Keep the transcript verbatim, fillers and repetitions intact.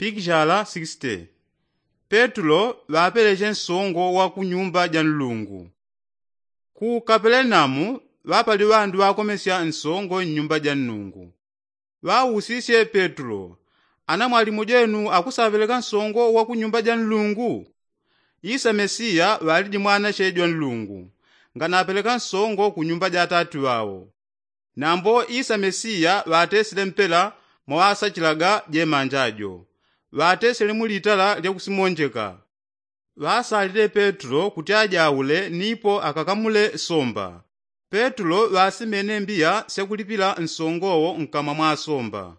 Pikishala sixty. Petulo ŵapeleche nsongo wa ku nyumba ja nlungu. Ku kapelenaumu ŵapali ŵandu ŵakomesya nsongo nnyumba ja nnungu. Ŵausisye petulo, ana mwalimu jenu akusaŵeleka nsongo wa ku nyumba ja nlungu? Isa mesiya ŵaliji mwanache jwa nlungu, nganapeleka nsongo ku nyumba ja atati ŵao. Nambo isa mesiya ŵatesile mpela mwaŵasachilaga jemanja jo, ŵatesile mu litala lya kusimonjeka. Ŵasalile petulo kuti ajaule nipo akakamule somba. Petulo ŵasimene mbiya syakulipila nsongowo nkamwa mwa somba.